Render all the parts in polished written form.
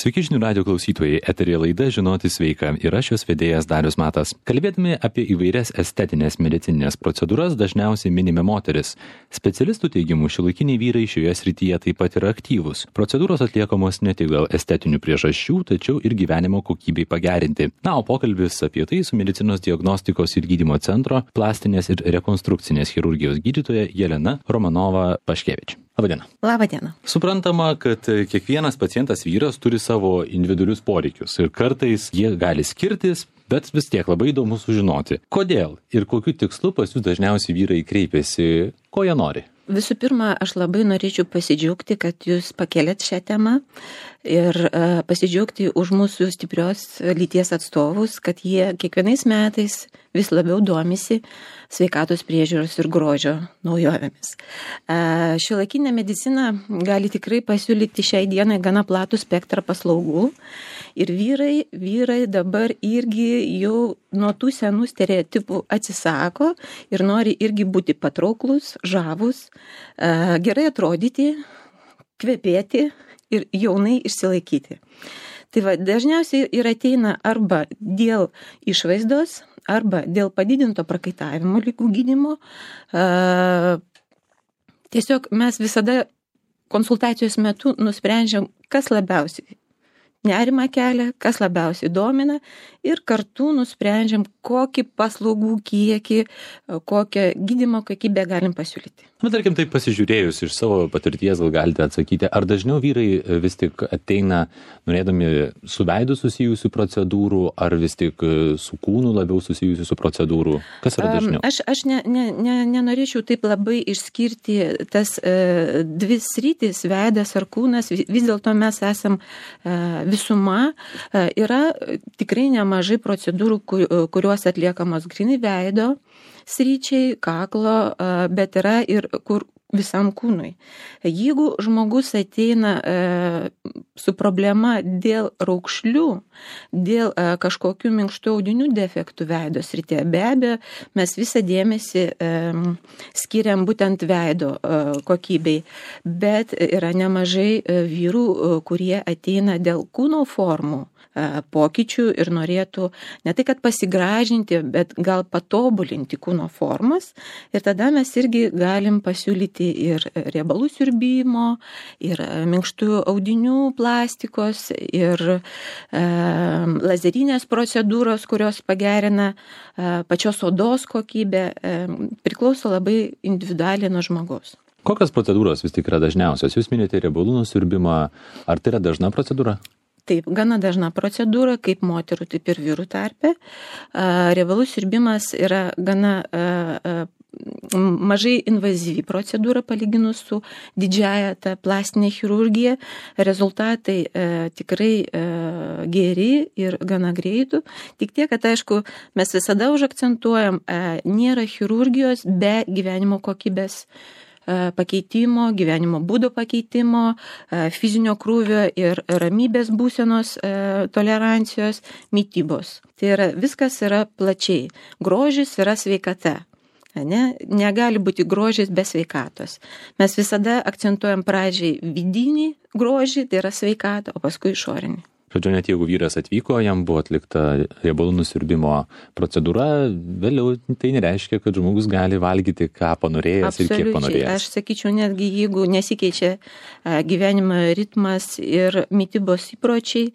Sveiki žinių radio klausytojai, eteryje laida Žinoti sveika ir aš jos vedėjas Darius Matas. Kalbėdami apie įvairias estetinės medicininės procedūras dažniausiai minime moteris. Specialistų teigimu šiuolaikiniai vyrai šioje srityje taip pat yra aktyvūs. Procedūros atliekamos ne tik dėl estetinių priežasčių, tačiau ir gyvenimo kokybei pagerinti. Na, o pokalbis apie tai su medicinos diagnostikos ir gydymo centro plastinės ir rekonstrukcinės chirurgijos gydytoja Jelena Romanova-Paškevič. Labadiena. Labadiena. Suprantama, kad kiekvienas pacientas vyras turi savo individualius poreikius ir kartais jie gali skirtis, bet vis tiek labai įdomu sužinoti, kodėl ir kokiu tikslu pas jūs dažniausiai vyrai kreipiasi, ko jie nori. Visų pirma, aš labai norėčiau pasidžiaugti, kad jūs pakėlėt šią temą ir pasidžiaugti už mūsų stiprios lyties atstovus, kad jie kiekvienais metais vis labiau domisi sveikatos priežiūros ir grožio naujovėmis. Šiuolaikinė medicina gali tikrai pasiūlyti šiai dienai gana platų spektrą paslaugų ir vyrai dabar irgi jau nuo tų senų stereotipų atsisako ir nori irgi būti patrauklus, žavus, gerai atrodyti, kvepėti ir jaunai išsilaikyti. Tai va, dažniausiai ir ateina arba dėl išvaizdos, arba dėl padidinto prakaitavimo ligų gydymo. Tiesiog mes visada konsultacijos metu nusprendžiam, kas labiausiai nerimą kelia, kas labiausiai domina ir kartu nusprendžiam, kokį paslaugų kiekį, kokią gydymo kokybę galim pasiūlyti. Bet tarkim, taip pasižiūrėjus iš savo patirties, gal galite atsakyti, ar dažniau vyrai vis tik ateina norėdami su veidu susijusių procedūrų, ar vis tik su kūnu labiau susijusių procedūrų? Kas yra dažniau? Aš nenorėčiau taip labai išskirti tas dvi sritis, veidas ar kūnas, vis dėlto mes esam visuma. Yra tikrai nemažai procedūrų, kurios atliekamos grinai veido sryčiai, kaklo, bet yra ir kur visam kūnui. Jeigu žmogus ateina su problema dėl raukšlių, dėl kažkokių minkštų audinių defektų veido srityje, be abejo, mes visą dėmesį skiriam būtent veido kokybei, bet yra nemažai vyrų, kurie ateina dėl kūno formų pokyčių ir norėtų ne tai, kad pasigražinti, bet gal patobulinti kūno formas. Ir tada mes irgi galim pasiūlyti ir riebalų siurbimo, ir minkštų audinių plastikos, ir lazerinės procedūros, kurios pagerina pačios odos kokybę, priklauso labai individualiai nuo žmogaus. Kokios procedūros vis tik yra dažniausios? Jūs minėjote riebalų nusiurbimą. Ar tai yra dažna procedūra? Taip, gana dažna procedūra, kaip moterų, taip ir vyrų tarpe. Riebalų siurbimas yra gana mažai invazyvi procedūra palyginus su didžiąja ta plastinė chirurgija. Rezultatai tikrai geri ir gana greitų. Tik tiek, kad aišku, mes visada užakcentuojam, nėra chirurgijos be gyvenimo kokybės pakeitimo, gyvenimo būdo pakeitimo, fizinio krūvio ir ramybės būsenos, tolerancijos, mitybos. Tai yra, viskas yra plačiai. Grožis yra sveikata. Negali būti grožis be sveikatos. Mes visada akcentuojam pradžiai vidinį grožį, tai yra sveikata, o paskui išorinį. Žodžiu, net jeigu vyras atvyko, jam buvo atlikta riebalų nusiurbimo procedūra, vėliau tai nereiškia, kad žmogus gali valgyti, ką panorėjęs ir kiek panorėjęs. Aš sakyčiau, netgi jeigu nesikeičia gyvenimo ritmas ir mitybos įpročiai,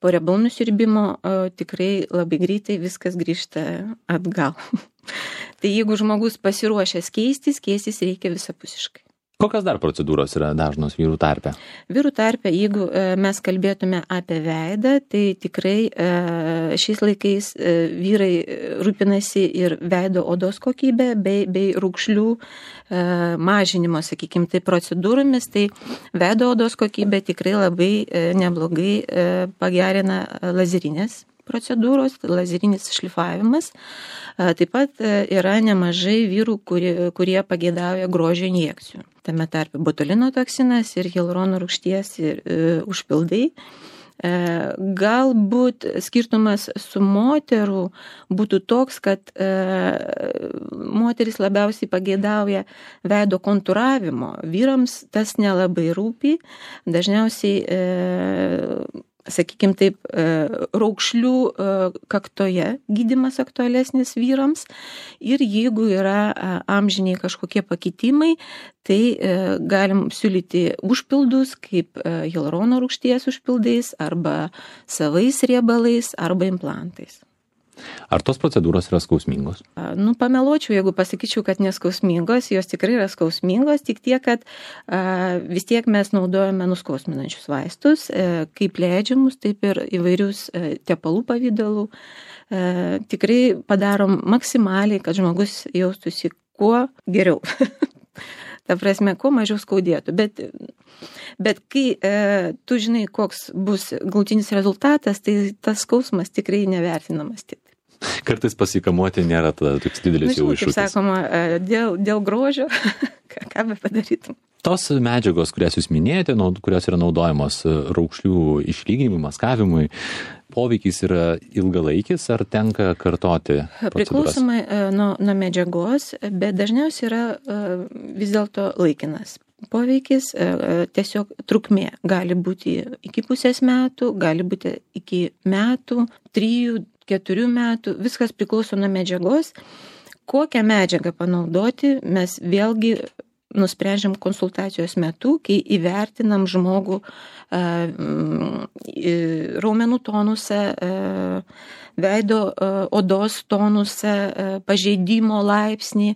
po riebalų nusiurbimo tikrai labai greitai viskas grįžta atgal. Tai jeigu žmogus pasiruošęs keistis reikia visapusiškai. Kokios dar procedūros yra dažnos vyrų tarpe? Vyrų tarpe, jeigu mes kalbėtume apie veidą, tai tikrai šiais laikais vyrai rūpinasi ir veido odos kokybę bei raukšlių mažinimo, sakykime, tai procedūromis, tai veido odos kokybę tikrai labai neblogai pagerina lazerinės procedūros, lazerinis šlifavimas. Taip pat yra nemažai vyrų, kurie pageidauja grožio injekcijų. Tame tarpe botulino toksinas ir hialurono rūgšties užpildai. Galbūt skirtumas su moterų būtų toks, kad moteris labiausiai pageidauja veido kontūravimo. Vyrams tas nelabai rūpi. Dažniausiai sakykime taip, raukšlių kaktoje gydymas aktualesnis vyrams ir jeigu yra amžiniai kažkokie pakitimai, tai galim siūlyti užpildus kaip hialurono rūgšties užpildais arba savais riebalais arba implantais. Ar tos procedūros yra skausmingos? Pameluočiau, jeigu pasakyčiau, kad neskausmingos, jos tikrai yra skausmingos, tik tiek, kad vis tiek mes naudojame nuskausminančius vaistus, kaip leidžiamus, taip ir įvairius tepalų pavydalų. Tikrai padarom maksimaliai, kad žmogus jaustųsi kuo geriau. Ta prasme, kuo mažiau skaudėtų. Bet kai tu žinai, koks bus galutinis rezultatas, tai tas skausmas tikrai nevertinamas taip. Kartais pasikamuoti nėra toks didelis jau iššūkis. Kaip sakoma, dėl grožio, ką be padarytum. Tos medžiagos, kurias jūs minėjote, kurios yra naudojamos raukšlių išlyginimui, maskavimui, poveikis yra ilgalaikis ar tenka kartoti procedūras? Priklausomai nuo medžiagos, bet dažniausiai yra vis dėlto laikinas. Poveikis tiesiog trukmė gali būti iki pusės metų, gali būti iki metų, 3-4 metų, viskas priklauso nuo medžiagos. Kokią medžiagą panaudoti, mes vėlgi nusprendžiam konsultacijos metu, kai įvertinam žmogų raumenų tonusą, veido odos tonusą, pažeidimo laipsnį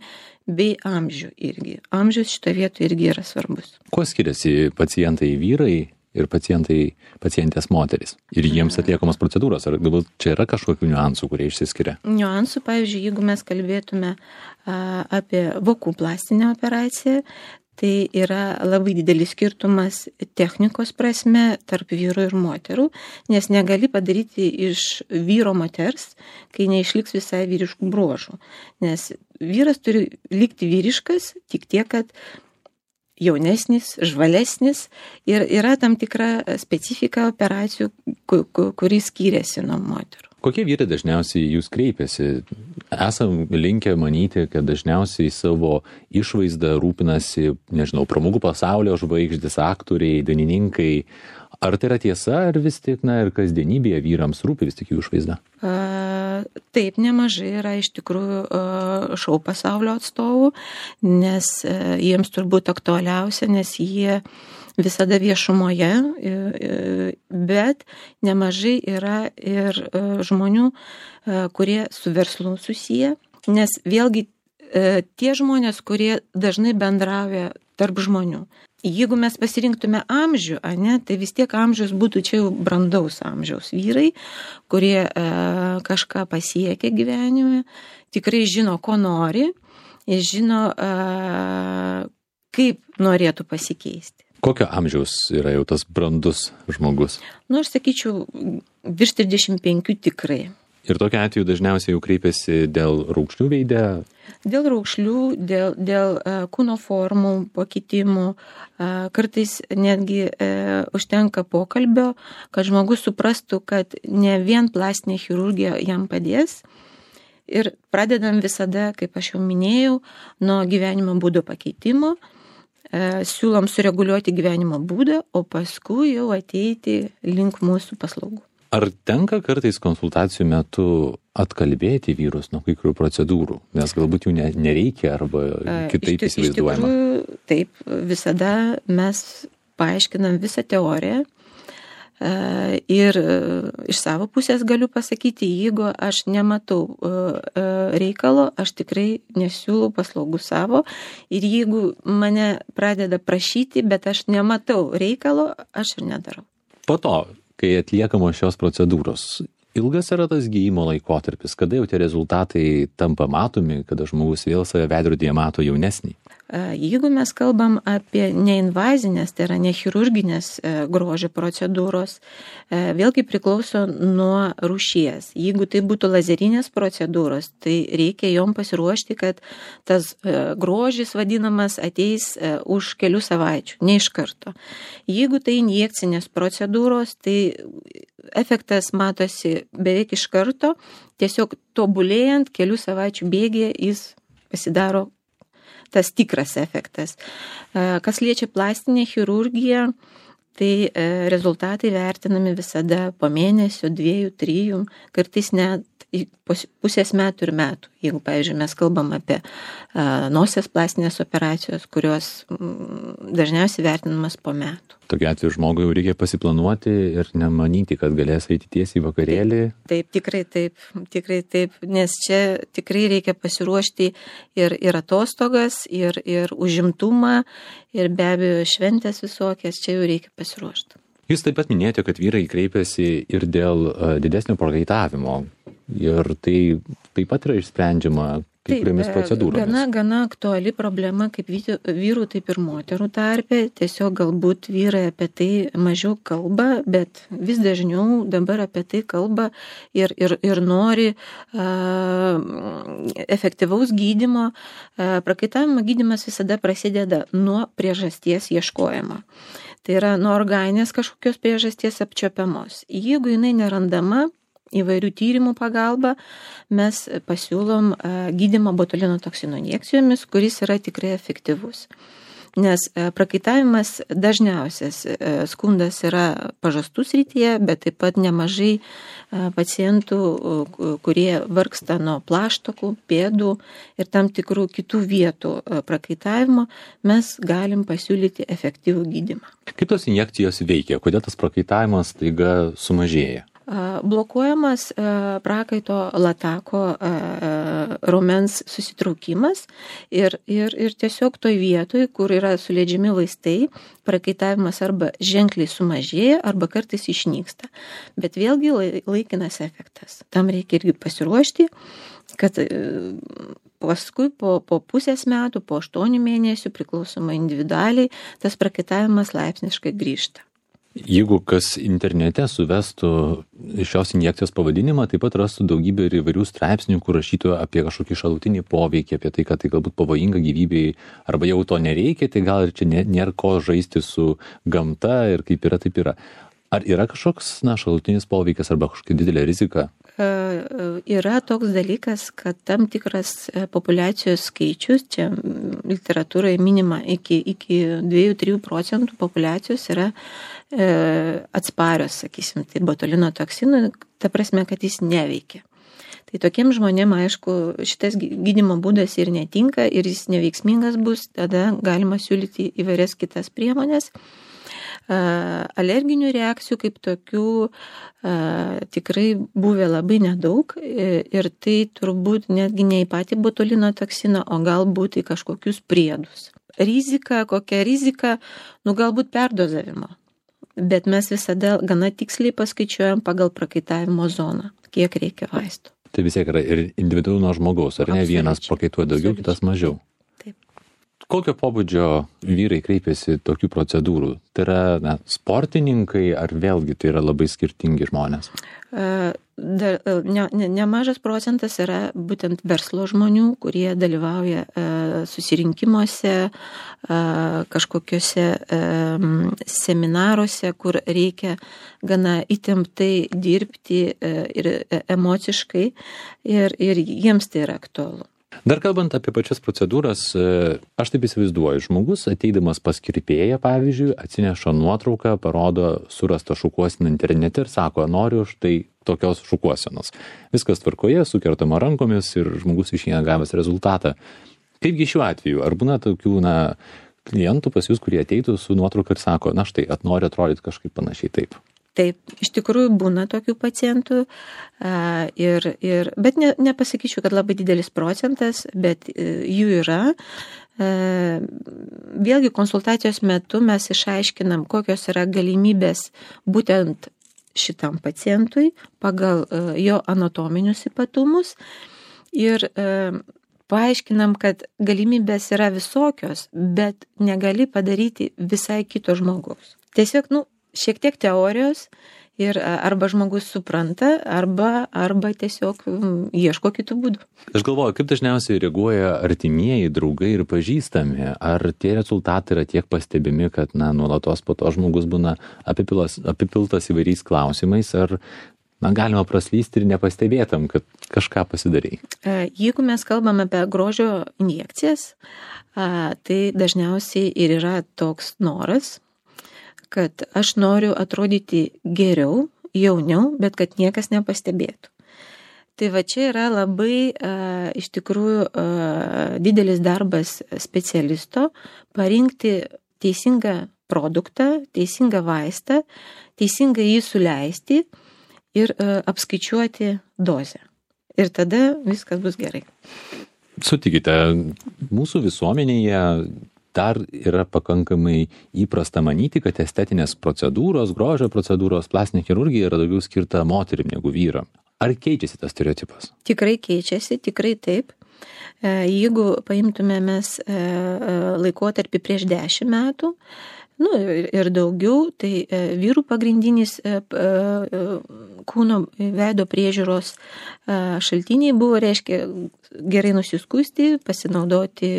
bei amžių irgi. Amžius šitoje vietoje irgi yra svarbus. Kuo skiriasi pacientai vyrai ir pacientės moteris? Ir jiems atliekamos procedūros? Ar galbūt čia yra kažkokių niuansų, kurie išsiskiria? Niuansų, pavyzdžiui, jeigu mes kalbėtume apie vokų plastinę operaciją, tai yra labai didelis skirtumas technikos prasme tarp vyrų ir moterų, nes negali padaryti iš vyro moters, kai neišliks visai vyriškų bruožų. Nes vyras turi likti vyriškas, tik tiek, kad jaunesnis, žvalesnis ir yra tam tikra specifika operacijų, kuri skiriasi nuo moterų. Kokie vyrai dažniausiai jūs kreipiasi? Esam linkę manyti, kad dažniausiai savo išvaizdą rūpinasi, pramogų pasaulio žvaigždės, aktoriai, dainininkai. Ar tai yra tiesa, ar vis tik, ir kasdienybėje vyrams rūpi vis tik jų išvaizda? Taip, nemažai yra iš tikrųjų šou pasaulio atstovų, nes jiems turbūt aktualiausia, nes jie visada viešumoje, bet nemažai yra ir žmonių, kurie su verslu susiję, nes vėlgi tie žmonės, kurie dažnai bendrauja tarp žmonių. Jeigu mes pasirinktume amžių, tai vis tiek amžius būtų čia jau brandaus amžiaus vyrai, kurie kažką pasiekia gyvenime, tikrai žino, ko nori ir žino, kaip norėtų pasikeisti. Kokio amžiaus yra jau tas brandus žmogus? Aš sakyčiau, virš 35 tikrai. Ir tokiu atveju dažniausiai jau kreipiasi dėl raukšlių veide? Dėl raukšlių, dėl kūno formų pakitimų, kartais netgi užtenka pokalbio, kad žmogus suprastų, kad ne vien plastinė chirurgija jam padės. Ir pradedam visada, kaip aš jau minėjau, nuo gyvenimo būdo pakeitimo, siūlom sureguliuoti gyvenimo būdą, o paskui jau ateiti link mūsų paslaugų. Ar tenka kartais konsultacijų metu atkalbėti vyrus nuo kai kurių procedūrų, nes galbūt jų nereikia arba kitaip įsivaizduojama? Iš tikrųjų, taip, visada mes paaiškinam visą teoriją ir iš savo pusės galiu pasakyti, jeigu aš nematau reikalo, aš tikrai nesiūlau paslaugų savo ir jeigu mane pradeda prašyti, bet aš nematau reikalo, aš ir nedarau. Po to, kai atliekamos šios procedūros, ilgas yra tas gydymo laikotarpis, kada jau tie rezultatai tampa matomi, kada žmogus vėl save veidrodyje mato jaunesnį? Jeigu mes kalbam apie neinvazinės, tai yra nechirurginės grožio procedūros, vėlgi priklauso nuo rūšies. Jeigu tai būtų lazerinės procedūros, tai reikia jom pasiruošti, kad tas grožis vadinamas ateis už kelių savaičių, ne iš karto. Jeigu tai injekcinės procedūros, tai efektas matosi beveik iš karto, tiesiog tobulėjant kelių savaičių bėgyje jis pasidaro tas tikras efektas. Kas liečia plastinę chirurgiją, tai rezultatai vertinami visada po mėnesio, 2, 3, kartais net pusės metų ir metų. Jeigu, pavyzdžiui, mes kalbam apie nosies plastinės operacijos, kurios dažniausiai vertinamas po metų. Tokiu atveju žmogui jau reikia pasiplanuoti ir nemanyti, kad galės eiti tiesiai į vakarėlį. Taip, tikrai taip, nes čia tikrai reikia pasiruošti ir atostogas, ir užimtumą, ir be abejo šventės visokias, čia jau reikia pasiruošti. Jūs taip pat minėjote, kad vyrai kreipiasi ir dėl didesnio prakaitavimo. Ir tai taip pat yra išsprendžiama kai kuriomis procedūromis. Gana aktuali problema kaip vyrų, taip ir moterų tarpe. Tiesiog galbūt vyrai apie tai mažiau kalba, bet vis dažniau dabar apie tai kalba ir nori efektyvaus gydymo. Prakaitavimo gydymas visada prasideda nuo priežasties ieškojimo. Tai yra nuo organinės kažkokios priežasties apčiuopiamos. Jeigu jinai nerandama, įvairių tyrimų pagalba, mes pasiūlom gydymą botulino toksino injekcijomis, kuris yra tikrai efektyvus. Nes prakaitavimas dažniausias skundas yra pažastų srityje, bet taip pat nemažai pacientų, kurie vargsta nuo plaštakų, pėdų ir tam tikrų kitų vietų prakaitavimo, mes galim pasiūlyti efektyvų gydymą. Kaip tos injekcijos veikia? Kodėl tas prakaitavimas staiga sumažėja? Blokuojamas prakaito latako raumens susitraukimas ir tiesiog toj vietoj, kur yra suleidžiami vaistai, prakaitavimas arba ženkliai sumažėja, arba kartais išnyksta. Bet vėlgi laikinas efektas. Tam reikia irgi pasiruošti, kad paskui po pusės metų, po 8 mėnesių, priklausomai individualiai, tas prakaitavimas laipsniškai grįžta. Jeigu kas internete suvestų šios injekcijos pavadinimą, taip pat rastų daugybę ir įvairių straipsnių, kur rašytų apie kažkokį šalutinį poveikį, apie tai, kad tai galbūt pavojinga gyvybei, arba jau to nereikia, tai gal ir čia nėra ko žaisti su gamta ir kaip yra, taip yra. Ar yra kažkoks šalutinis poveikis arba kažkokia didelė rizika? Yra toks dalykas, kad tam tikras populiacijos skaičius, čia literatūroje minima iki 2-3% populiacijos yra atsparios, sakysim, tai botulino toksinui, ta prasme, kad jis neveikia. Tai tokiem žmonėm, aišku, šitas gydymo būdas ir netinka, ir jis neveiksmingas bus, tada galima siūlyti įvairias kitas priemonės. Alerginių reakcijų kaip tokių tikrai buvę labai nedaug ir tai turbūt netgi ne į patį botulino toksiną, o galbūt į kažkokius priedus. Kokia rizika, galbūt perdozavimo. Bet mes visada gana tiksliai paskaičiuojam pagal prakaitavimo zoną, kiek reikia vaistų. Tai vis tiek yra ir individualu nuo žmogaus, ar ne? Vienas prakaituoja daugiau, kitas mažiau. Kokio pobūdžio vyrai kreipiasi tokių procedūrų? Tai yra sportininkai ar vėlgi tai yra labai skirtingi žmonės? Nemažas procentas yra būtent verslo žmonių, kurie dalyvauja susirinkimuose, kažkokiuose seminaruose, kur reikia gana įtemptai dirbti ir emociškai ir jiems tai yra aktualu. Dar kalbant apie pačias procedūras, aš taip įsivaizduoju, žmogus ateidamas pas kirpėją, pavyzdžiui, atsineša nuotrauką, parodo surastą šukuoseną internete ir sako, noriu štai tokios šukuosenos. Viskas tvarkoje, sukertama rankomis ir žmogus išeina gavęs rezultatą. Kaipgi šiuo atveju? Ar būna tokių klientų pas jūs, kurie ateitų su nuotrauka ir sako, štai, nori atrodyti kažkaip panašiai taip? Taip, iš tikrųjų būna tokių pacientų, bet nepasakyčiau, kad labai didelis procentas, bet jų yra. Vėlgi konsultacijos metu mes išaiškinam, kokios yra galimybės būtent šitam pacientui pagal jo anatominius ypatumus ir paaiškinam, kad galimybės yra visokios, bet negali padaryti visai kito žmogaus. Tiesiog, šiek tiek teorijos ir arba žmogus supranta, arba tiesiog ieško kitų būdų. Aš galvoju, kaip dažniausiai reaguoja artimieji, draugai ir pažįstami. Ar tie rezultatai yra tiek pastebimi, kad nuolatos po to žmogus būna apipiltas įvairiais klausimais, ar galima praslysti ir nepastebėtam, kad kažką pasidarei? Jeigu mes kalbame apie grožio injekcijas, tai dažniausiai ir yra toks noras, kad aš noriu atrodyti geriau, jauniau, bet kad niekas nepastebėtų. Tai va čia yra labai iš tikrųjų didelis darbas specialisto parinkti teisingą produktą, teisingą vaistą, teisingai jį suleisti ir apskaičiuoti dozę. Ir tada viskas bus gerai. Sutikite, mūsų visuomenėje dar yra pakankamai įprasta manyti, kad estetinės procedūros, grožio procedūros, plastinė chirurgija yra daugiau skirta moterim negu vyram. Ar keičiasi tas stereotipas? Tikrai keičiasi, tikrai taip. Jeigu paimtume mes laikotarpį prieš 10 metų, ir daugiau, tai vyrų pagrindinis kūno veido priežiūros šaltiniai buvo, reiškia, gerai nusiskusti, pasinaudoti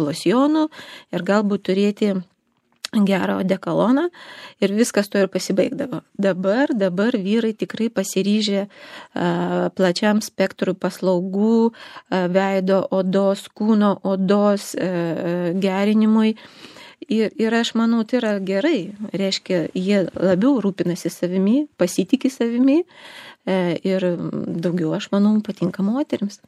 losjonu ir galbūt turėti gerą odekoloną ir viskas to ir pasibaigdavo. Dabar vyrai tikrai pasiryžę plačiam spektrui paslaugų, veido odos, kūno odos gerinimui. Ir aš manau, tai yra gerai. Reiškia, jie labiau rūpinasi savimi, pasitiki savimi ir daugiau, aš manau, patinka moterims.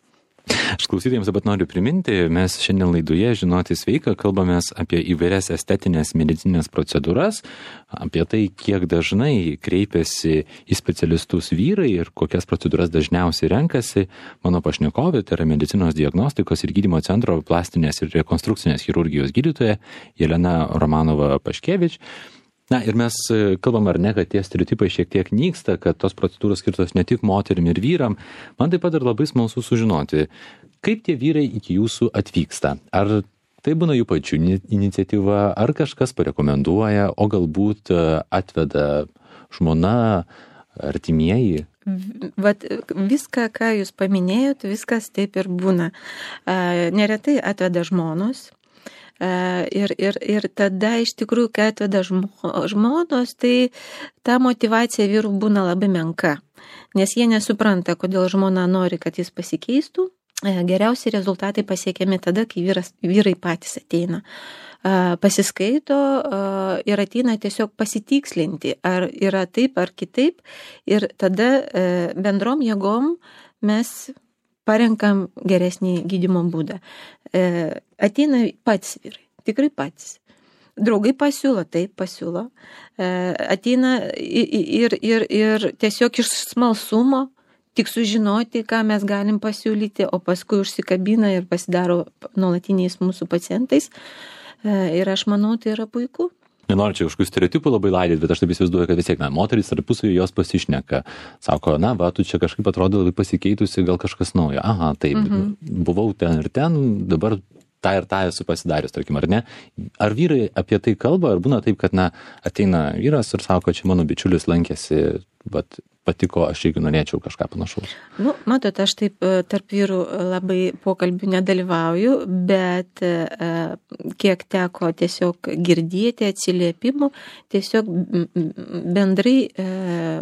Aš klausytėjams dabar noriu priminti, mes šiandien laidoje Žinoti sveika kalbamės apie įvairias estetinės medicinės procedūras, apie tai, kiek dažnai kreipiasi į specialistus vyrai ir kokias procedūras dažniausiai renkasi. Mano pašnekovė, tai yra medicinos diagnostikos ir gydymo centro plastinės ir rekonstrukcinės chirurgijos gydytoja Jelena Romanova-Paškevič. Na ir mes kalbam ar ne, kad tie stereotipai šiek tiek nyksta, kad tos procedūros skirtos ne tik moterim ir vyram. Man taip pat ir labai smalsu sužinoti, kaip tie vyrai iki jūsų atvyksta. Ar tai būna jų pačių iniciatyva, ar kažkas parekomenduoja, o galbūt atveda žmona, artimieji? Vat viską, ką jūs paminėjot, viskas taip ir būna. Neretai atveda žmonos. Ir tada iš tikrųjų, kai atveda žmonos, tai ta motyvacija vyrų būna labai menka, nes jie nesupranta, kodėl žmona nori, kad jis pasikeistų. Geriausi rezultatai pasiekiami tada, kai vyrai patys ateina, pasiskaito ir ateina tiesiog pasitikslinti, ar yra taip ar kitaip, ir tada bendrom jėgom mes parenkam geresnį gydymo būdą. Ateina patys vyrai, tikrai patys. Draugai pasiūlo, taip pasiūlo. Ateina ir tiesiog iš smalsumo, tik sužinoti, ką mes galim pasiūlyti, o paskui užsikabina ir pasidaro nuolatiniais mūsų pacientais. Ir aš manau, tai yra puiku. Nenoriu čia kažkokių stereotipų labai laidyti, bet aš taip įsivaizduoju, kad vis tiek, moterys tarpusavy jos pasišneka. Sako, tu čia kažkaip atrodo labai pasikeitusi, gal kažkas naujo. Aha, taip, buvau ten ir ten, dabar tą ir tą esu pasidarius, tarkim, ar ne? Ar vyrai apie tai kalba, ar būna taip, kad, ateina vyras ir sako, čia mano bičiulis lankėsi, bet patiko, aš irgi norėčiau kažką panašaus. Matot, aš taip tarp vyrų labai pokalbių nedalyvauju, bet kiek teko tiesiog girdėti atsiliepimų, tiesiog bendrai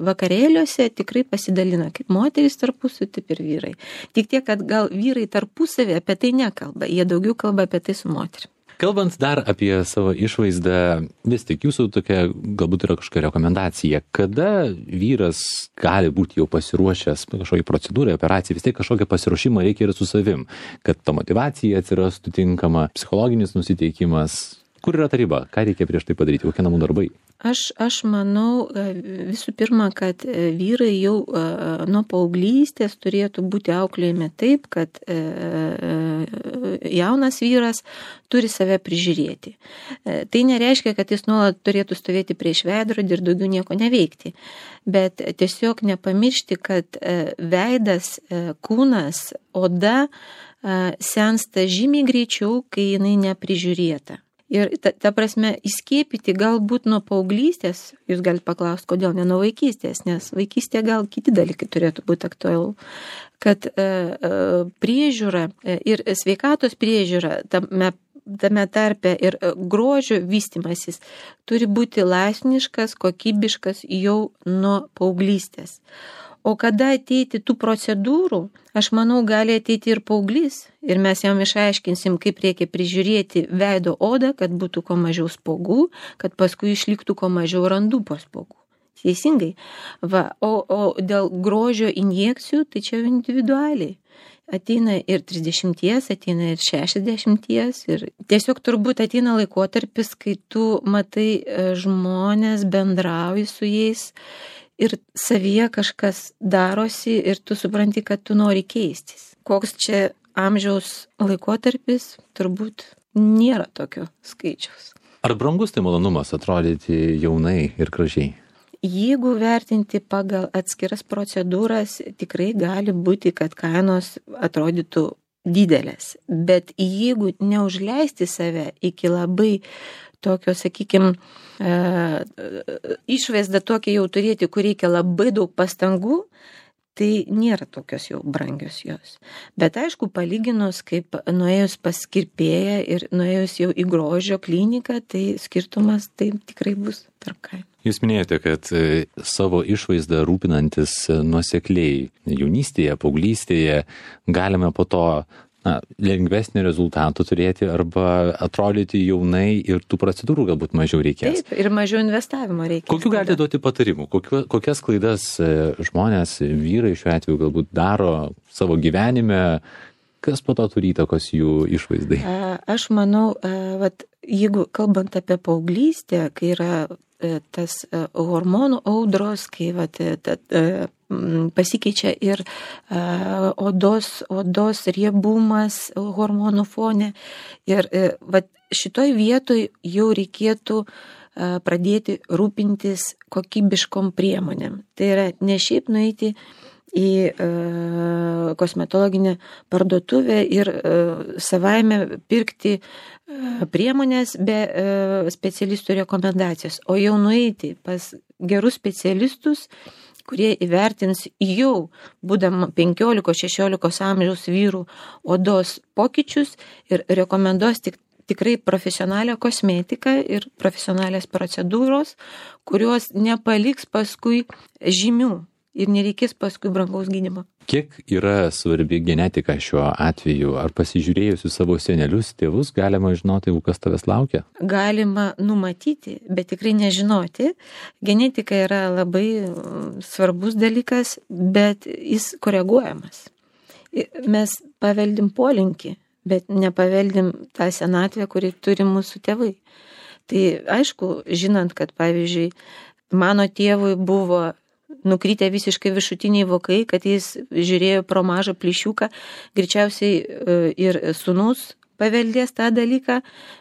vakarėliuose tikrai pasidalina kaip moterys tarpusavy, taip ir vyrai. Tik tiek, kad gal vyrai tarpusavy apie tai nekalba, jie daugiau kalba apie tai su moterim. Kalbant dar apie savo išvaizdą, vis tik jūsų tokia galbūt yra kažkokia rekomendacija, kada vyras gali būti jau pasiruošęs kažkokiai procedūrai, operacijai, vis tiek kažkokią pasiruošimą reikia ir su savim, kad ta motyvacija atsirastų tinkama, psichologinis nusiteikimas. Kur yra ta riba? Ką reikia prieš tai padaryti? Kokie namų darbai? Aš manau visų pirma, kad vyrai jau nuo paauglystės turėtų būti auklėjami taip, kad jaunas vyras turi save prižiūrėti. Tai nereiškia, kad jis nuolat turėtų stovėti prieš veidrodį ir daugiau nieko neveikti. Bet tiesiog nepamiršti, kad veidas, kūnas, oda sensta žymiai greičiau, kai jinai neprižiūrėta. Ir ta prasme, įskiepyti galbūt nuo paauglystės, jūs galite paklausti, kodėl ne nuo vaikystės, nes vaikystėje gal kiti dalykai turėtų būti aktualu, kad priežiūra ir sveikatos priežiūra tame tarpe ir grožio vystymasis turi būti laipsniškas, kokybiškas jau nuo paauglystės. O kada ateiti tų procedūrų, aš manau, gali ateiti ir paauglys. Ir mes jam išaiškinsim, kaip reikia prižiūrėti veido odą, kad būtų kuo mažiau spogų, kad paskui išliktų kuo mažiau randų po spogų. Teisingai. Va, o dėl grožio injekcijų, tai čia individualiai. Ateina ir 30, ateina ir 60. Ir tiesiog turbūt ateina laikotarpis, kai tu matai žmonės, bendrauji su jais ir savyje kažkas darosi ir tu supranti, kad tu nori keistis. Koks čia amžiaus laikotarpis, turbūt nėra tokio skaičiaus. Ar brangus tai malonumas atrodyti jaunai ir gražiai? Jeigu vertinti pagal atskiras procedūras, tikrai gali būti, kad kainos atrodytų didelės. Bet jeigu neužleisti save iki labai tokio, sakykime, išvaizdą tokia jau turėti, kur reikia labai daug pastangų, tai nėra tokios jau brangios jos. Bet aišku, palyginus, kaip nuėjus pas kirpėją ir nuėjus jau į grožio kliniką, tai skirtumas tai tikrai bus tarp kainų. Jūs minėjote, kad savo išvaizdą rūpinantis nuosekliai jaunystėje, paauglystėje galime po to lengvesnį rezultatų turėti arba atrodyti jaunai ir tų procedūrų galbūt mažiau reikės. Taip, ir mažiau investavimo reikės. Kokių galite duoti patarimų? Kokias klaidas žmonės, vyrai šiuo atveju galbūt daro savo gyvenime, kas po to turi įtakos jų išvaizdai? Aš manau, jeigu kalbant apie paauglystę, kai yra tas hormonų audros, kai pasikeičia ir odos riebumas hormonų fone. Ir šitoj vietoj jau reikėtų pradėti rūpintis kokybiškom priemonėm. Tai yra ne šiaip nueiti į kosmetologinę parduotuvę ir savaime pirkti priemonės be specialistų rekomendacijos, o jau nueiti pas gerus specialistus, kurie įvertins jau, būdama 15-16 amžiaus vyrų odos pokyčius ir rekomenduos tikrai profesionalią kosmetiką ir profesionalias procedūros, kurios nepaliks paskui žymių ir nereikės paskui brangaus gydymo. Kiek yra svarbi genetika šiuo atveju? Ar pasižiūrėjus į savo senelius, tėvus, galima žinoti, kas tavęs laukia? Galima numatyti, bet tikrai nežinoti. Genetika yra labai svarbus dalykas, bet jis koreguojamas. Mes paveldim polinkį, bet nepaveldim tą senatvę, kuri turi mūsų tėvai. Tai aišku, žinant, kad pavyzdžiui, mano tėvui buvo nukrytę visiškai viršutiniai vokai, kad jis žiūrėjo pro mažą plyšiuką, greičiausiai ir sūnus paveldės tą dalyką,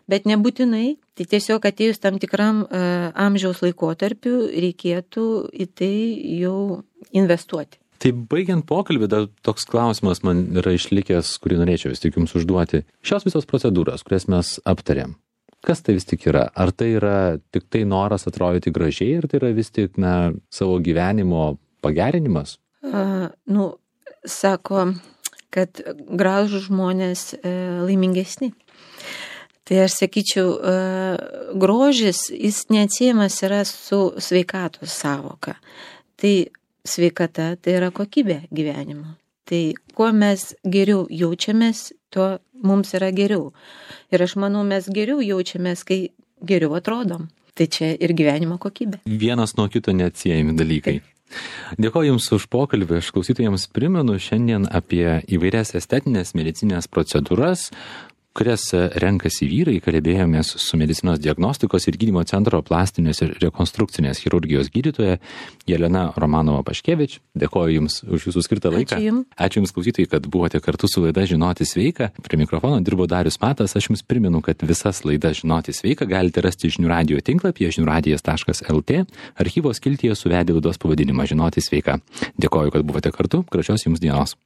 bet nebūtinai. Tai tiesiog atėjus tam tikram amžiaus laikotarpiu reikėtų į tai jau investuoti. Tai baigiant pokalbį, dar toks klausimas man yra išlikęs, kurį norėčiau vis tik jums užduoti. Šios visos procedūros, kurias mes aptarėm, kas tai vis tik yra? Ar tai yra tik tai noras atrodyti gražiai, ar tai yra vis tik savo gyvenimo pagerinimas? Sako, kad gražūs žmonės laimingesni. Tai aš sakyčiau, grožis, jis neatsiejamas yra su sveikatos savoka. Tai sveikata tai yra kokybė gyvenimo. Tai kuo mes geriau jaučiamės, tuo mums yra geriau. Ir aš manau, mes geriau jaučiamės, kai geriau atrodom. Tai čia ir gyvenimo kokybė. Vienas nuo kito neatsiejami dalykai. Dėkoju Jums už pokalbį. Aš klausytojams primenu šiandien apie įvairias estetinės medicinės procedūras, kurias renkasi vyrai. Kalbėjomės su medicinos diagnostikos ir gydymo centro plastinės ir rekonstrukcinės chirurgijos gydytoja Jelena Romanova-Paškevič. Dėkoju Jums už Jūsų skirtą laiką. Ačiū Jums, klausytojai, kad buvote kartu su laida Žinoti sveika. Prie mikrofono dirbo Darius Matas. Aš Jums primenu, kad visas laidas Žinoti sveika galite rasti Žinių radijo tinklapyje žiniųradijas.lt. Archyvo skiltyje suvedę laidos pavadinimą Žinoti sveika. Dėkoju, kad buvote kartu. Gražios Jums dienos.